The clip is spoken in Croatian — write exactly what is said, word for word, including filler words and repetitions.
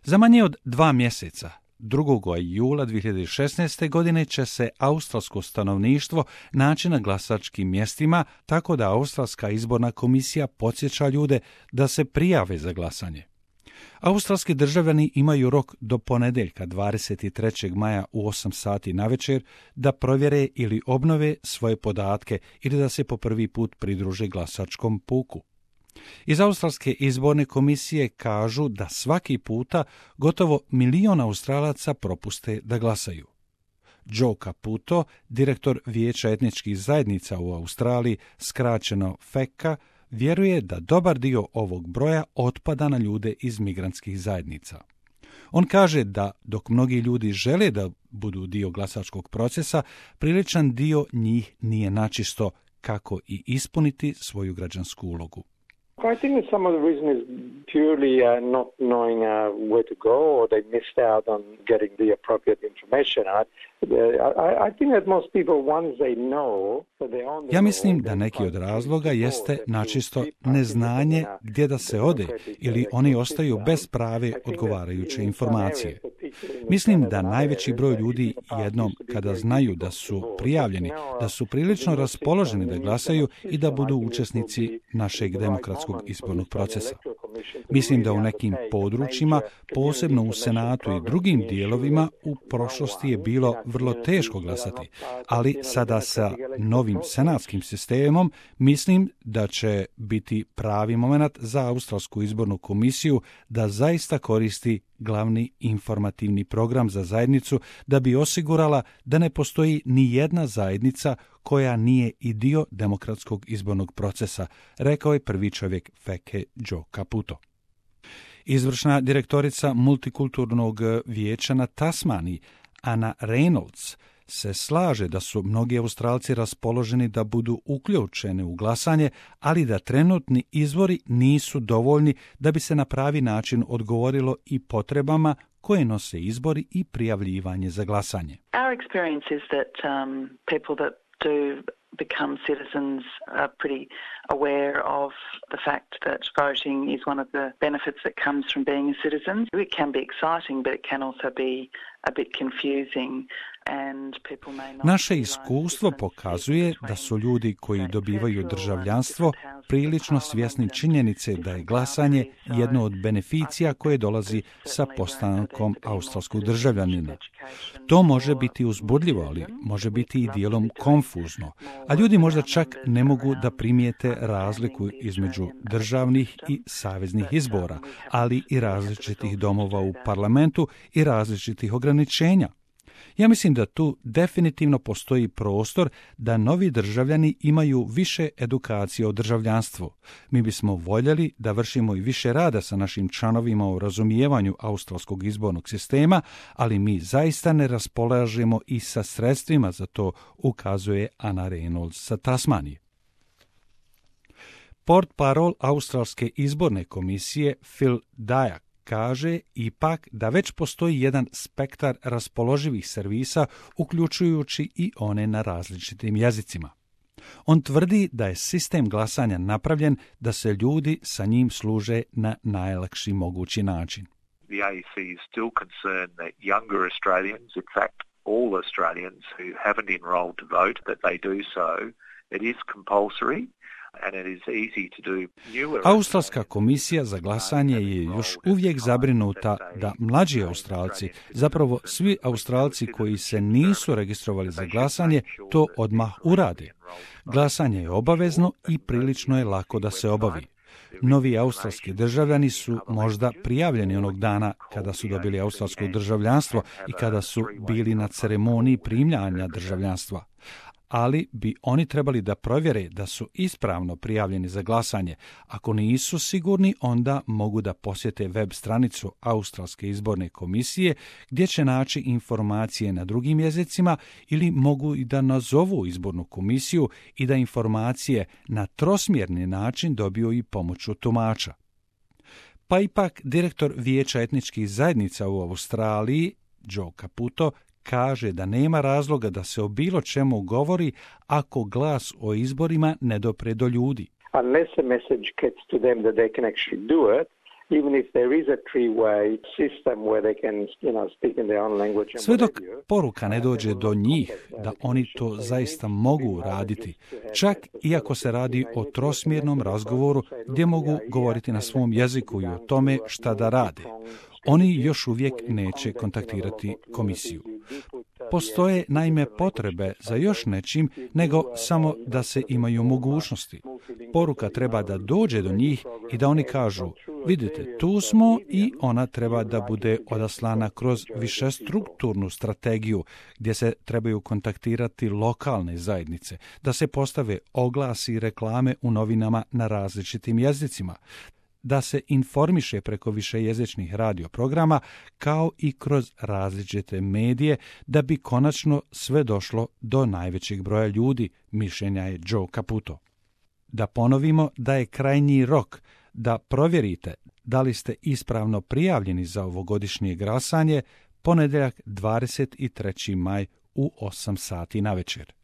Za manje od dva mjeseca, drugog jula dvije hiljade šesnaeste. godine, će se australsko stanovništvo naći na glasačkim mjestima, tako da Australska izborna komisija podsjeća ljude da se prijave za glasanje. Australski državljani imaju rok do ponedjeljka dvadeset trećeg maja u osam sati navečer da provjere ili obnove svoje podatke ili da se po prvi put pridruže glasačkom puku. Iz Australske izborne komisije kažu da svaki puta gotovo milion Australaca propuste da glasaju. Joe Caputo, direktor Vijeća etničkih zajednica u Australiji, skraćeno F E C A, vjeruje da dobar dio ovog broja otpada na ljude iz migrantskih zajednica. On kaže da dok mnogi ljudi žele da budu dio glasačkog procesa, priličan dio njih nije načisto kako i ispuniti svoju građansku ulogu. I think that some of the reason is purely uh, not knowing uh, where to go, or they missed out on getting the appropriate information. I, I, I think that most people, once they know that they're on the Ja mislim da neki od razloga jeste načisto neznanje gdje da se ode ili oni ostaju bez prave odgovarajuće informacije. Mislim da najveći broj ljudi jednom kada znaju da su prijavljeni, da su prilično raspoloženi da glasaju i da budu učesnici našeg demokratskog izbornog procesa. Mislim da u nekim područjima, posebno u Senatu i drugim dijelovima, u prošlosti je bilo vrlo teško glasati, ali sada sa novim senatskim sistemom mislim da će biti pravi moment za Australsku izbornu komisiju da zaista koristi glavni informativni program za zajednicu da bi osigurala da ne postoji ni jedna zajednica koja nije i dio demokratskog izbornog procesa, rekao je prvi čovjek F E C A Joe Caputo. Izvršna direktorica multikulturnog vijeća na Tasmaniji, Anna Reynolds, se slaže da su mnogi Australci raspoloženi da budu uključeni u glasanje, ali da trenutni izvori nisu dovoljni da bi se na pravi način odgovorilo i potrebama koje nose izbori i prijavljivanje za glasanje. Our experience is that um, people that do become citizens are pretty aware of the fact that voting is one of the benefits that comes from being a citizen. It can be exciting, but it can also be a bit confusing. Naše iskustvo pokazuje da su ljudi koji dobivaju državljanstvo prilično svjesni činjenice da je glasanje jedno od beneficija koje dolazi sa postankom australskog državljanina. To može biti uzbudljivo, ali može biti i dijelom konfuzno, a ljudi možda čak ne mogu da primijete razliku između državnih i saveznih izbora, ali i različitih domova u parlamentu i različitih ograničenja. Ja mislim da tu definitivno postoji prostor da novi državljani imaju više edukacije o državljanstvu. Mi bismo voljeli da vršimo i više rada sa našim članovima u razumijevanju australskog izbornog sistema, ali mi zaista ne raspolažemo i sa sredstvima za to, ukazuje Anna Reynolds sa Tasmanije. Portparol Australske izborne komisije Phil Dyak kaže ipak da već postoji jedan spektar raspoloživih servisa, uključujući i one na različitim jezicima. On tvrdi da je sistem glasanja napravljen da se ljudi sa njim služe na najlakši mogući način. The A E C is still concerned that younger Australians, in fact all Australians who haven't enrolled to vote, that they do so. It is compulsory. Australska komisija za glasanje je još uvijek zabrinuta da mlađi Australci, zapravo svi Australci koji se nisu registrovali za glasanje, to odmah urade. Glasanje je obavezno i prilično je lako da se obavi. Novi australski državljani su možda prijavljeni onog dana kada su dobili australsko državljanstvo i kada su bili na ceremoniji primljanja državljanstva. Ali bi oni trebali da provjere da su ispravno prijavljeni za glasanje. Ako nisu sigurni, onda mogu da posjete web stranicu Australske izborne komisije gdje će naći informacije na drugim jezicima ili mogu i da nazovu izbornu komisiju i da informacije na trosmjerni način dobiju i pomoću tumača. Pa ipak direktor Vijeća etničkih zajednica u Australiji, Joe Caputo, kaže da nema razloga da se o bilo čemu govori ako glas o izborima ne dopre do ljudi. Unless a message gets to them that they can actually do it, even if there is a three-way system where they can, you know, speak in their own language. Sve dok poruka ne dođe do njih da oni to zaista mogu raditi, čak i ako se radi o trosmjernom razgovoru gdje mogu govoriti na svom jeziku i o tome šta da rade, oni još uvijek neće kontaktirati komisiju. Postoje naime potrebe za još nečim nego samo da se imaju mogućnosti. Poruka treba da dođe do njih i da oni kažu, vidite, tu smo, i ona treba da bude odaslana kroz višestrukturnu strategiju gdje se trebaju kontaktirati lokalne zajednice, da se postave oglasi i reklame u novinama na različitim jezicima, da se informiše preko višejezičnih radioprograma kao i kroz različite medije da bi konačno sve došlo do najvećeg broja ljudi, mišljenja je Joe Caputo. Da ponovimo da je krajnji rok da provjerite da li ste ispravno prijavljeni za ovogodišnje glasanje ponedjeljak dvadeset treći maj u osam sati navečer.